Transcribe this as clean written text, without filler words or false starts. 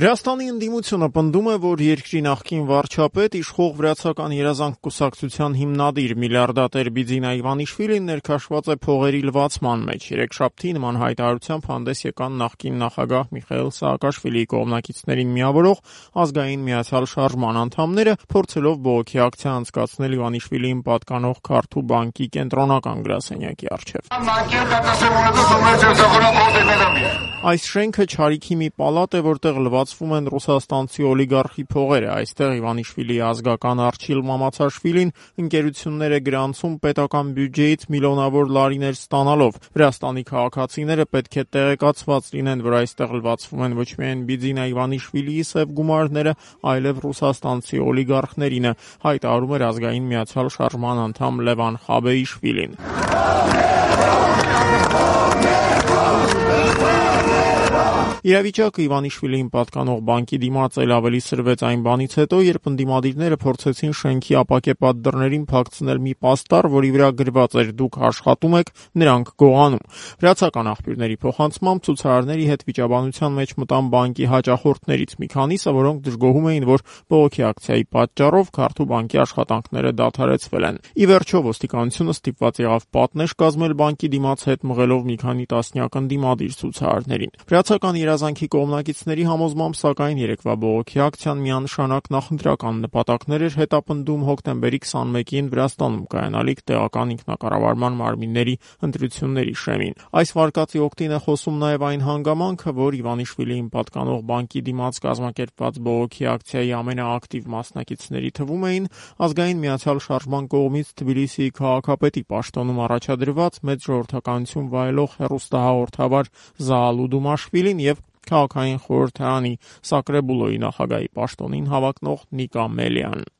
Վրաստանի ընդդիմությունը պնդում է, որ երկրի նախկին վարչապետ, իշխող Վրացական երազանք կուսակցության հիմնադիր միլիարդատեր Բիձինա Իվանիշվիլին ներքաշված է փողերի լվացման մեջ։ Երեքշաբթի նման հայտարարությամբ հանդես եկան նախկին նախագահ Միխայիլ Սաակաշվիլիի կողմնակիցներին միավորող Ազգային միացյալ շարժման անդամները, փորձելով բողոքի ակցիա անցկացնել Իվանիշվիլիին պատկանող Քարթու բանկի կենտրոնական գրասենյակի առջև։ Այս շենքը չարիքի մի պալատ է, որտեղ լվացվում են ռուսաստանցի օլիգարխի փողերը։ Այստեղ Իվանիշվիլիի ազգական Արչիլ Մամացաշվիլին ընկերություններ է գրանցում պետական բյուջեից միլիոնավոր լարիներ ստանալով։ Վրաստանի քաղաքացիները պետք է տեղեկացված լինեն, որ այստեղ լվացվում են ոչ միայն Բիձինա Իվանիշվիլիի սև գումարները, այլև ռուսաստանցի օլիգարխներինը, հայտարարում էր Ազգային միացյալ շարժման անդամ Լևան Խաբեիշվիլին։ Իրավիճակը Իվանիշվիլիին պատկանող բանկի դիմաց էլ ավելի սրվեց այն բանից հետո, երբ ընդդիմադիրները փորձեցին շենքի ապակեպատ դռներին փակցնել մի պաստառ, որի վրա գրված էր «Դուք աշխատում եք, նրանք գողանում»։ Վրացական աղբյուրների փոխանցմամբ ցուցարարների հետ վիճաբանության մեջ մտան բանկի հաճախորդներից մի քանիսը, որոնք դժգոհում էին, որ բողոքի ակցիայի պատճառով Քարթու բանկի աշխատանքները դադարեցվել են։ Ի վերջո ոստիկանությունը ստիպված եղավ պատնեշ կազմել բանկի դիմաց հետ մղելով մի քանի տասնյակ ընդդիմադիր ցուցարարներին։ Վրացական երազանքի կողմնակիցների համոզմամբ, սակայն երեկվա բողոքի ակցիան միանշանակ նախընտրական նպատակներ էր հետապնդում հոկտեմբերի 21-ին Վրաստանում կայանալիք տեղական ինքնակառավարման մարմինների ընտրությունների շեմին։ Այս վարկածի օգտին է խոսում նաև այն հանգամանքը, որ Իվանիշվիլիին պատկանող բանկի դիմաց կազմակերպված բողոքի ակցիայի ամենաակտիվ մասնակիցների թվում էին Ազգային միացյալ շարժման կողմից Թբիլիսիի քաղաքապետի պաշտոնում առաջադրված մեծ ժողովրդականություն վայելող հեռուստահաղորդավար Զաալու Դումաշվիլին և քաղաքային խորհրդարանի Սակրեբուլոյի նախագահի պաշտոնին հավակնող Նիկա Մելիան։